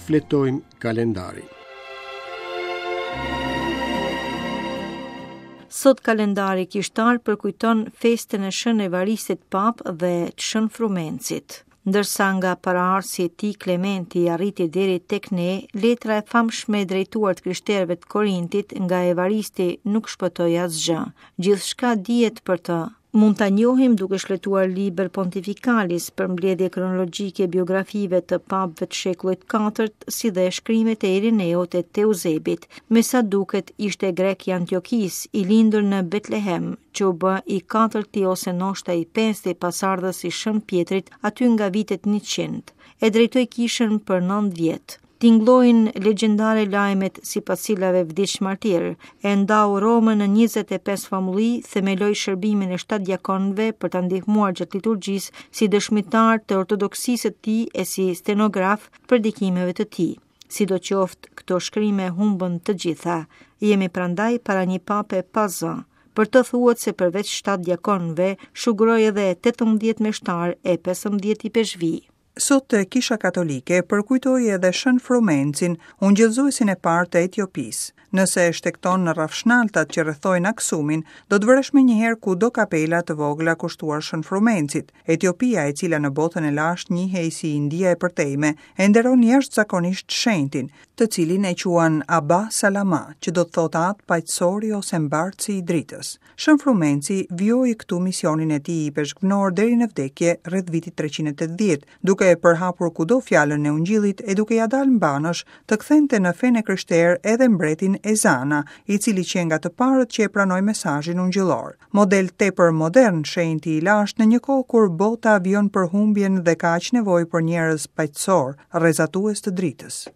Shfletojmë kalendarin. Sot kalendari kishtar përkujton festën e Shën Evaristit Papë dhe Shën Frumencit. Ndërsa nga paraardhësi i tij Klementi arriti deri tek ne, letra e famshme e drejtuar të krishterëve të Korintit nga Evaristi nuk shpëtoi asgjë. Gjithçka dihet për të. Mund ta njohim duke shfletuar Liber Pontificalis, përmbledhje kronologjike e biografive të papëve të shekullit të katërt, si dhe shkrimet e Irineut e të Euzebit. Me sa duket ishte grek i Antiokisë, i lindur në Betlehem, që u bë i katërti ose ndoshta i pesti pasardhës i Shën Pjetrit aty nga vitet 100. E drejtoi kishën për 9 vjet. Tingëllojnë legjendare lajmet sipas cilave vdiq martir, e ndau Romën në 25 famulli, themeloi shërbimin e 7 diakonëve për ta ndihmuar gjatë liturgjisë si dëshmitar të ortodoksisë së tij e si stenograf të predikimeve të tij. Sidoqoftë, këto shkrime humbën të gjitha. Jemi prandaj para një pape pa zë. Për të thuhet se përveç 7 diakonëve, shuguroi edhe 18 meshtarë e 15 ipeshkvij. Sot Kisha Katolike përkujtoi edhe Shën Frumencin, ungjillëzuesin e parë të Etiopisë. Nëse shtegton në rrafshnaltat që rrethojnë Aksumin, do të vëresh menjëherë kudo kapela të vogla kushtuar Shën Frumencit. Etiopia, e cila në botën e lashtë njihej si India e përtejme, e nderon jashtëzakonisht shenjtin, të cilin e quan Abba Salama, që do të thotë Atë Paqësori ose Mbartësi i Dritës. Shën Frumenci vijoi këtu misionin e tij ipeshkvnor deri në vdekje rreth vitit 380, duke e përhapur kudo fjalën e Ungjillit e duke ia dalë mbanësh të kthente në fenë e krishterë edhe mbretin Ezana, i cili qe nga të parët që e pranoi mesazhin ungjillor. Model tepër modern shenjti i lashtë në një kohë kur bota vijon përhumbjen dhe ka aq nevojë për njerëz paqësorë, rrezatues të dritës.